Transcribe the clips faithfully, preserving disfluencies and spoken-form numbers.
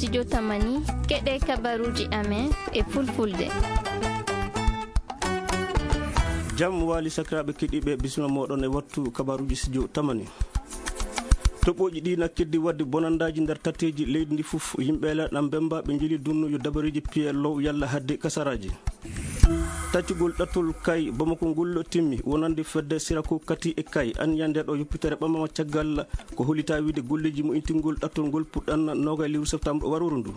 Studio Tamani, keɗe kabaruji amen e fulfulde. Jam wali sakiraɓe keɗiɓe, bisimilla moɗon e wattu kabaruji Studio Tamani. Toɓoji ɗi na keddi wadde bonandaji nder tatteji leydi ndi fof. Yimɓe la na mbemba ɓe jeli dunno yo dabareji piye low yalla hadde kasaraji. Taccugol ɗattol kay Bamako ngol timmi, wonande fedde Sirako Kati e kay. Anniya nde ɗo yoppitere ɓamama caggal ko hollita wiide golleji mo intingol ɗattol ngol puɗɗan noga lewru septembre waroro ndu.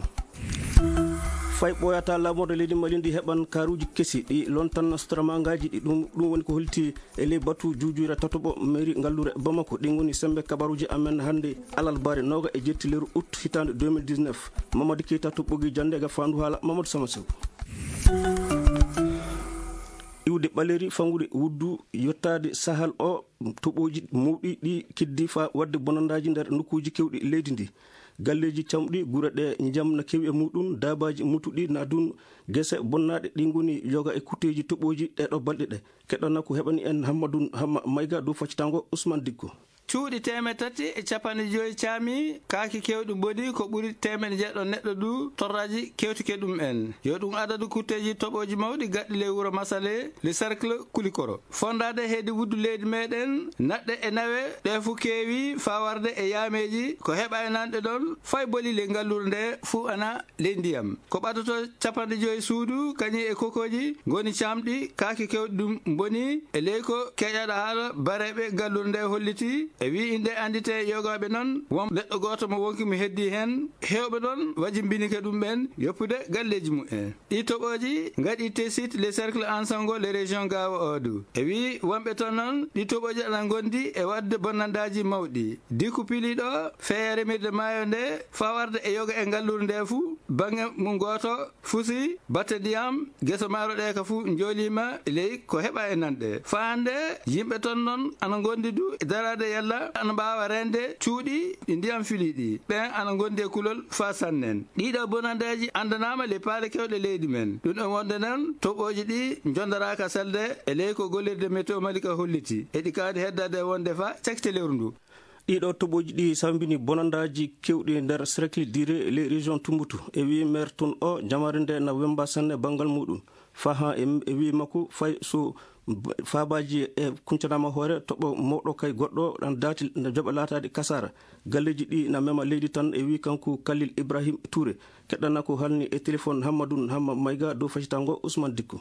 Fay ɓooyata laamorde leydi Mali ndi heɓan karuji kesi ɗi lontan sutoramangaji ɗi. Ɗum, ɗum woni ko holliti e ley batu juujure tatoɓo mairie ngallure Bamako. Ɗin woni sembe kabaruji amen hannde alarba noga e jetti lewru août hitande deux mille dix-neuf. Mamadou Keita to ɓogi jande ga fandu haala Mamadou Sama Sow. Iwde ɓaleri fangude wuddu yottaade sahal o, toɓoji mawɗi ɗi keddi fa wadde bonandaji nder nokkuji kewɗi leydi ndi. Galleji camɗi gure ɗe njam na kewi e muɗum, dabaji mutuɗi na dun, gese bonnaɗe ɗi ngoni yoga e kutteji toɓoji ɗe ɗo balɗe ɗe. Keɗɗana ko heɓani en Hammadou Hamma Mayga dow faccitango Ousmane Dikko. Cuuɗi teemeɗɗe tati e capanɗe joyi caami, kaaki kewɗi mboni ko ɓuri teemeɗɗe jeeɗo neɗɗo du torraji kewtike ɗum en. Yo ɗum adadu kutteji toɓoji mawɗi gaɗɗi ley wuro Masale, le cercle Kulikoro. Fondade heedi wuddu leydi meɗen, naɗɗe e nawe, ɗe fu keewi fawarde e yaameji ko heɓa e nanɗe ɗon, fay boli le ngallure nde fu ana ley ndiyam. Ko ɓaddoto capanɗe joyi suudu, kañum e kokoji ngoni camɗi, kaaki kewɗi ɗum mboni e ley ko keƴaɗo haala bareɓe ngallure nde holliti. E wi inde andite yogaɓe noon, won neɗɗo gooto mo wonki mo heddi heen. Hewɓe noon wajimbinike ɗum ɓen yoppude galleji mumen. Ɗi toɓoji ngaɗi tesit le cercle Ansango le région Gawo Odu. E wi wonɓe toon noon, ɗi toɓoji ana ngondi e wadde bonnandaji mawɗi. Dikku pili ɗo feere remirde maayo nde, fawarde e yoga e ngallure nde fu, bange mum gooto fusi, batte ndiyam, gese maaro ɗe ka fu njoolima ley ko heɓa e nanɗe. Fa hannde, yimɓe toon noon ana ngondi du e daraade yalla ana mbaawa reende cuuɗi ɗi ndiyam fili ɗi. Ɓen ana ngondi e kulol fa sannen. Ɗiɗo bonandeeji anndanaama ley paale kewɗe leydi men. Ɗum ɗon wonde noon, toɓooji ɗi njondoraaka selde e ley ko gollirde Météo Mali ka holliti. Eɗi kaadi heddaade wonde fa cakite lewru ndu. Ɗiɗo toɓoji ɗi sambini bonandaaji kewɗi nder cercle dire les régions Tumbutu. E wi maire tun o, jamare nde na wemba sanne banngal muɗum. Faha e, e wi makko fay so b-, fabaji e kuncanama hoore toɓo mawɗo kay goɗɗo ɗan daati na joɓa laataade kasara. Galleji ɗi na mema leydi tan e wi kanko Khalil Ibrahim Touré. Keɗɗana ko halni e téléphone Hammadun Hamma Mayga dow facitango Ousmane Dikko.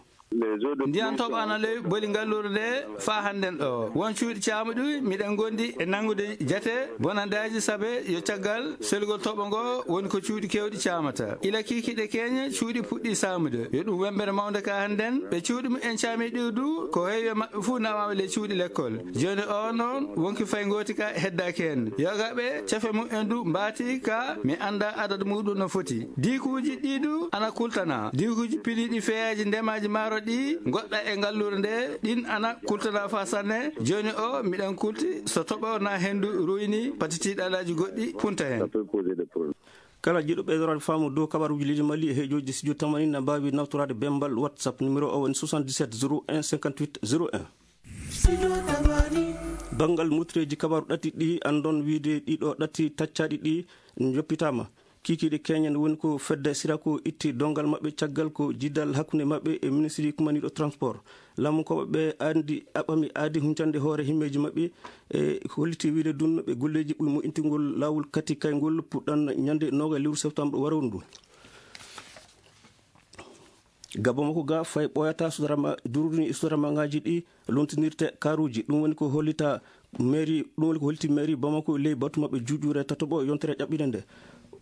Ndiyan toɓo ana ley boli ngallure nde faa hannden ɗo. Won cuuɗi caamuɗi miɗen ngondi e nanngude jate bonandaaji sabe yo caggal selugol toɓo ngo woni ko cuuɗi keewɗi caamata. Ila kiikiiɗe keeñe cuuɗi puɗɗi saamude. Yo ɗum wembere mawnde ka hannden. Ɓe cuuɗi mumen caami ɗiw du ko heewi e maɓɓe fuu nawaama ley cuuɗi lekkol. Jooni o noon wonki fay ngooti ka heddaaki heen. Yogaɓe cefe mumen du mbaati ka mi annda adadu muɗum no foti. Diikuuji ɗi du ana kultana. Diikuuji piliiɗi feeyaji ndemaaji maaro ɗi ngoɗɗa e ngallure nde, ɗin ana kultana fa sanne. Jooni o miɗen kulti so toɓo na henndu ruyni, pati tiiɗalaaji goɗɗi punta heen. Kala jiɗo ɓeydoraade faamu dow kabaruuji leydi Mali e heejoji studio Tamani na mbaawi nawtoraade bembal WhatsApp numéro o woni soixante-dix-sept zéro un cinquante-huit zéro un. Banngal mutreeji kabaru ɗati ɗi anndon wiide ɗiɗo ɗati taccaaɗi ɗi joppitaama. Kiikiiɗe keñen woni ko fedde Sirako itti donngal maɓɓe caggal ko jiddal hakkunde maɓɓe e ministri kumaniiɗo transport. Laamu ko ɓe andi aɓami aadi huncande hoore himmeeji maɓɓe e holliti wiide dun ɓe golleeji ɓuri moƴƴintingol laawol kati kayngol puɗɗan ñande nooga lewru septembre warowndu. Gabamako ga fay ɓooyata sudarama, durudini sudaramaŋaaji ɗi lontinirte karuuji. Ɗum woni ko hollita mairie, ɗum woni ko holliti mairie Bamako ley batu maɓɓe juuƴuure tataɓo yontere ƴaɓɓire nde.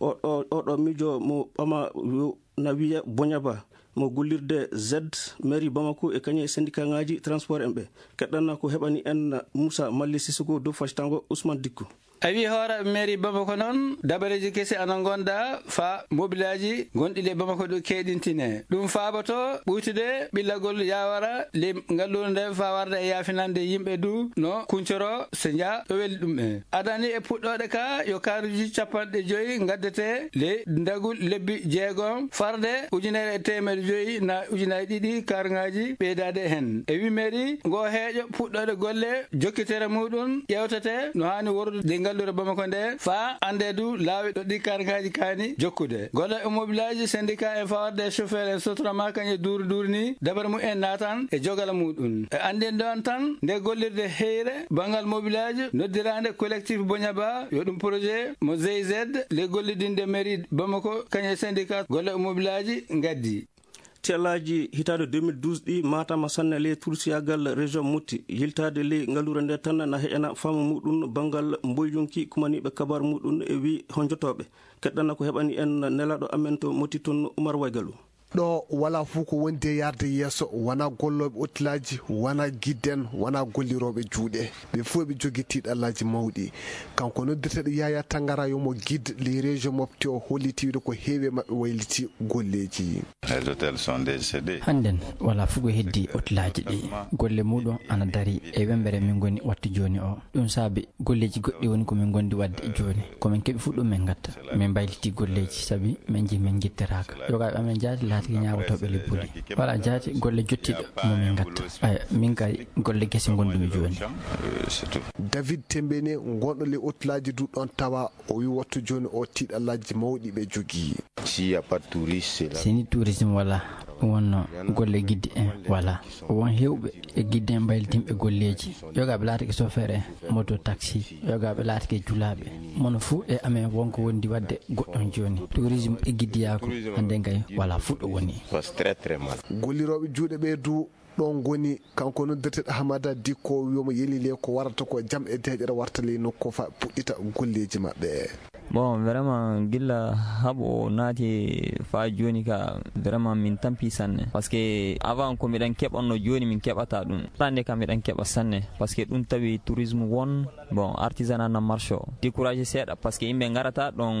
O, o, oɗo miijo mo ɓama yo na wiya Boñaba, mo gollirde Z mairie Bamako e kañe syndicat ŋaaji transport en ɓe. Keɗɗanna ko heɓani en Moussa Malli Sissoko dow facitango Ousmane Dikko. A wi hooreeɓe mairie Bamako noon, dabareeji kesi ana ngonda fa mobilaaji gonɗi ley Bamako ɗo keɗintine. Ɗum faaboto ɓuytude ɓillagol yawara ley ngallure nde fa warda e yaafinande yimɓe du no kuncoro so nja ɗo weli ɗum en. Adani e puɗɗoɗe ka yo karuji capanɗe joyi ngaddete ley ndagu lebbi jeegom farde ujunere e teemeɗe joyi na ujunaaji ɗiɗi karŋaaji ɓeydade hen. E wi mairie ngo heeƴo puɗɗoɗe golle jokkitere muɗum ƴewtete no hani wordude ngal Lure Bamako nde faa annde du laawi ɗo ɗi kargaaji kaani jokkude. Golle e mobilaaji sendika en fawarde e chauffeur en sotrama kañe duuri duuri ni dabare mumen naatan e jogala muɗum. E annden ɗon tan nde gollirde heyre banngal mobilaaji noddiraande collectif Boñaba yo ɗum projet mo G I Z le gollidinde mairie Bamako kañe syndicat golle e mobilaaji ngaddi. Tiyalaaji hitaande deux mille douze ɗi maatama sanne ley tursiyagal région Mopti. Yiltaade ley ngaluure nde tan na heƴana faamu muɗum banngal mboyunki kumaniiɓe kabaar muɗum e wi honjotooɓe. Keɗɗana ko heɓani en nelaaɗo amen to Mopti toon Umar Waygalu. Ɗo walaa fof ko wondi e yaarde yeeso, wonaa gollooɓe otilaaji, wonaa gidden, wonaa gollirooɓe juuɗe. Ɓe fof ɓe jogii tiiɗallaaji mawɗi. Kanko noddirteeɗo Yaya Tangara yo mo gid ley région Mopti o hollitii wiide ko heewi e maɓɓe wayliti golleeji. Les hôtels sont décédés. Hannden, walaa fof ko heddi otilaaji ɗi. Golle muɗum ana darii e wemmbere min ngoni wattu jooni o. Ɗum saabi golleeji goɗɗi woni ko min ngondi waɗde jooni. Ko min keɓi fof ɗum min ngatta. Min mbayliti golleeji sabi min nji min ngittiraaka. Yogaaɓe amen jaati laatike ñaawotooɓe lebbuli. Walaa jaati golle jottiiɗo mo min ngatta. Aya, min kay golle gese ngondumi jooni. David Tembene, gonɗo ley otilaaji du ɗon tawa, o wi wattu jooni o tiiɗallaaji mawɗi ɓe jogii. S'il y a pas de touristes, c'est là. Si ni tourisme wala, wonno golle gidde en wala. Won heewɓe e gidde en mbaylitinɓe golleeji. Yogaaɓe laatike chauffeur en, moto taxi. Yogaaɓe laatike julaaɓe. Mono fuu e amen wonko wondi waɗde goɗɗum jooni. Tourisme e giddiyaako, hannde kay wala fuu ɗo woni. Passe très, très mal. Gollirooɓe juuɗe ɓe du ɗon ngoni, kanko noddirteeɗo Hamada Dikko, wiyomo yeli le ko warata ko jam e deeƴere warta ley nokku fa puɗɗita golleeji maɓɓe. Bon, vraiment, gilla haɓo naati faa jooni ka, vraiment min tampi sanne. Parce que avant ko miɗen keɓanno, jooni min keɓata ɗum. Arande ka miɗen keɓa sanne. Parce que ɗum tawi tourisme won, bon, artisanat na marche o. Découragé seeɗa, parce que yimɓe ngarata ɗon,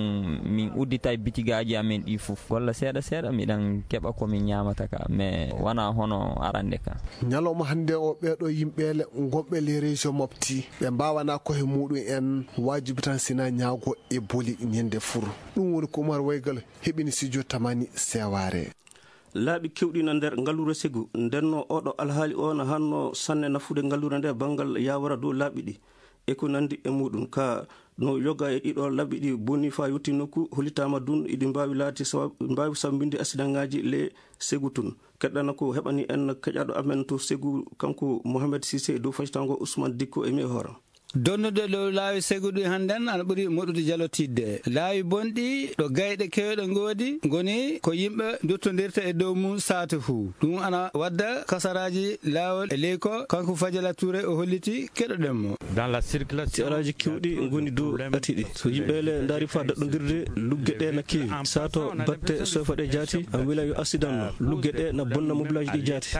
min uddita e bitigaaji amen ɗi fof. Golla seeɗa seeɗa, miɗen keɓa ko min ñaamata ka, mais wonaa hono arande ka. Ñalawma hannde o, ɓeeɗo yimɓeele gonɓe ley région Mopti, ɓe mbaawanaa koye muɗum en waajibi tan sina ñaago e boli ñande fur. Ɗum woni ko Umar Waygal heɓini studio Tamani Seewaare. Laaɓi keewɗi na nder ngaluure Segu. Ndenno oɗo alhaali o na hanno sanne nafude ngaluure nde banngal yaawara dow laaɓi ɗi e ko nanndi e muɗum. Ka no yoga e ɗiɗo laaɓi ɗi boni faa yotti nokku, hollitaama dun iɗi mbaawi laati sawa-, mbaawi sambinde asidangaaji le Segu tun. Keɗɗana ko heɓani en keƴaɗo amen to Segu, kanko Mohamed Cissé dow fayitango Ousmane Dikko e mi e hoore. Donnude dow laawi Segu ɗi hannden ana ɓuri moɗude jalotidde. Laawi bonɗi ɗo gayɗe keewɗe ngoodi ngoni ko yimɓe duttondirta e dow mum saatu fuu. Ɗum ana wadda kasaraaji laawol e ley ko kanko Fadjala Touré o holliti keɗoɗen mo. Dans la circulation, tiyalaaji keewɗi ngoni dow ɗati ɗi. So yimɓe le ndaari faa daɗɗondirde, lugge ɗe na keewi. Sato batte sofa ɗe jaati, a wila yo accident no. Lugge ɗe na bonna mobilaaji ɗi jaati.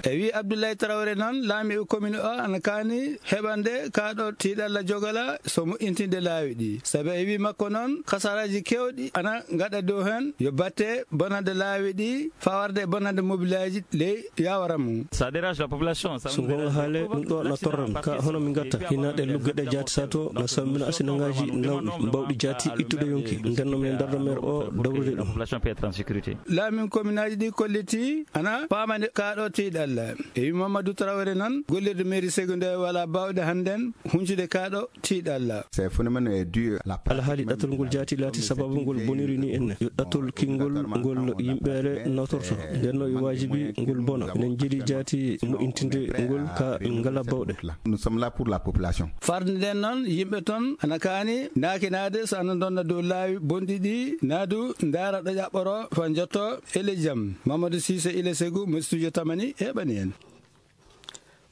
E wi Abdoulaye Traoré noon, laamiiɗo commune o ana kaani heɓande kaaɗo tiiɗalla jogala so moƴƴintinde laawi ɗi. Sabi e wi makko noon, kasaraaji keewɗi ana ngaɗa dow heen yo batte bonande laawi ɗi, faa warde e bonande mobilaaji ley yaawara mum. Ça dérange la population, ça. So goonga haale, ɗum ɗo na torram. Ka hono min ngatta? Hina ɗe lugge ɗe jaati sato, na sammina asinangaaji nawɗi, mbawɗi jaati ittude yonki. Nden no min darda maire o dawrude ɗum. Population peut être en sécurité. Laamin kominaaji ɗi kolliti ana paamani kaaɗo tiiɗalla. E wi Mamadou Traoré noon, gollirde mairie secondaire wala baawɗe hannden huncude kaaɗo tiiɗalla. Ce phénomène est dû à la. Alhaali ɗatal ngol jaati laati sababu ngol boniri ni en. Yo ɗatal kingol ngol yimɓeere nawtorto. Nden no e waajibi ngol bona. Enen jeli jaati moƴƴintinde ngol ka ngala bawɗe. Nous sommes là pour la population. Farde nden noon, yimɓe toon ana kaani naakinaade so ana ndonna dow laawi bonɗi ɗi, naadu ndaara ɗo ƴaɓɓoro fa njotto ele jam. Mamadou Cissé Ile Segu, mo studio Tamani, heɓani en.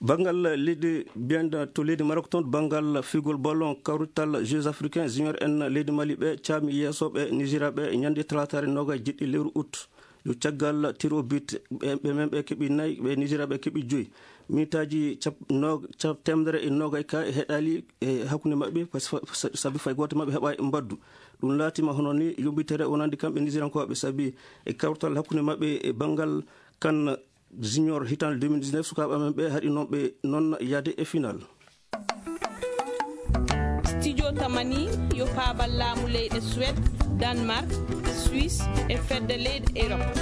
Banngal leydi mbiyen to leydi Maroc toon, banngal fiigol ballon kawrital Jeux Africains Junior en leydi Mali ɓe caami yeeso ɓe Nigéria ɓe ñande talaataare noogaye jeɗɗi lewru août. Yo caggal tiro but, ɓe, ɓe men ɓe keɓi nayi, ɓe Nigéria ɓe keɓi joyi. Minitaaji cap-, no-, cap-, teemedere e noogay ka e heɗaali e hakkunde maɓɓe, par ce que fa-, sa-, sabi fay gooto maɓɓe heɓaay mbaddu. Ɗum laatiima hono ni yombitere wonande kamɓe Nigériankooɓe, sabi e kawrital hakkunde maɓɓe e banngal kan Junior hitaande deux mille dix-neuf, sukaaɓe amen ɓe haɗi noon ɓe noon yaade e final. Studio Tamani yo paabal laamu leyɗe Suède, Danemark, Suisse e fedde leyɗe Europe.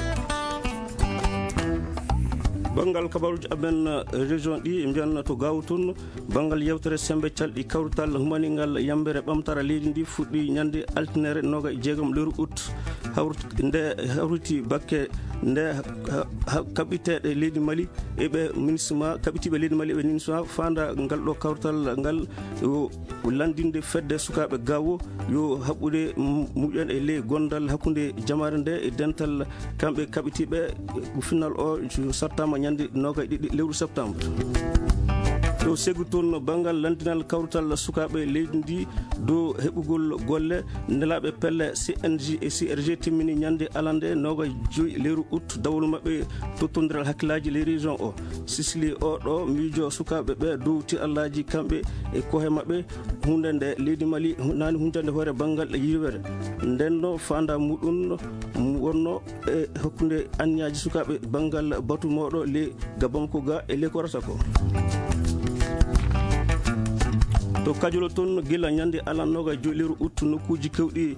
Banngal kabaruuji amen, eh, région ɗi, mbiyan to Gaawo toon, banngal yewtere semmbe calɗi kawrital humaningal yambere ɓamtara leydi ndi fuɗɗi ñande altinere noogaye jeegom lewru août. Hawrit-, nde hawriti batte nde ha-, ha-, kaɓɓiteeɗe leydi Mali e ɓe MINUSMA, kaɓɓitiiɓe leydi Mali e ɓe MINUSMA faanda ngal ɗo kawrital ngal yo lanndinde fedde sukaaɓe Gaawo yo haɓɓude mu-, muƴƴen e ley gondal hakkunde jamaare nde e dental kamɓe kaɓɓitiiɓe. Finnal o sartaama ñande noogaye ɗiɗi lewru septembre. To Ségou toon, banngal lanndinal kawrital sukaaɓe leydi ndi dow heɓugol golle, nelaaɓe pelle C N J e C R G timmini ñande alande noogaye joy lewru août dawol maɓɓe tottondiral hakkillaaji ley région o. Sisli o ɗo miijo sukaaɓe ɓe dow tiɗallaaji kamɓe e kohe maɓɓe, huunde nde leydi Mali naani huntande hoore banngal yirwere. Nden no faanda muɗum wonno e hakkunde anniyaaji sukaaɓe banngal batu mawɗo ley ga Bamako ga e ley ko warata ko. To Kajolo toon, gila ñande alan noogaye joy lewru août, nokkuuji kewɗi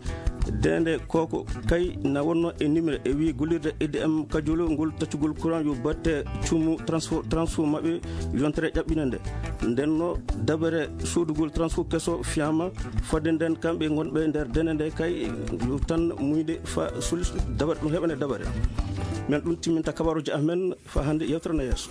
deende koko kay na wonno e nimre e wi'i gollirde E D M Kajolo ngol taccugol courant yo batte cuumu transfo-, transfo maɓɓe yontere ƴaɓɓinde nde. Nden no dabere soodugol transfo keso fiyaama fodde nden kamɓe ngonɓe nder deende nde kay yo tan muyde fa solution dabare ɗum heɓane dabare. Men ɗum timminta kabaruuji amen fa hannde, yewtere na yeeso.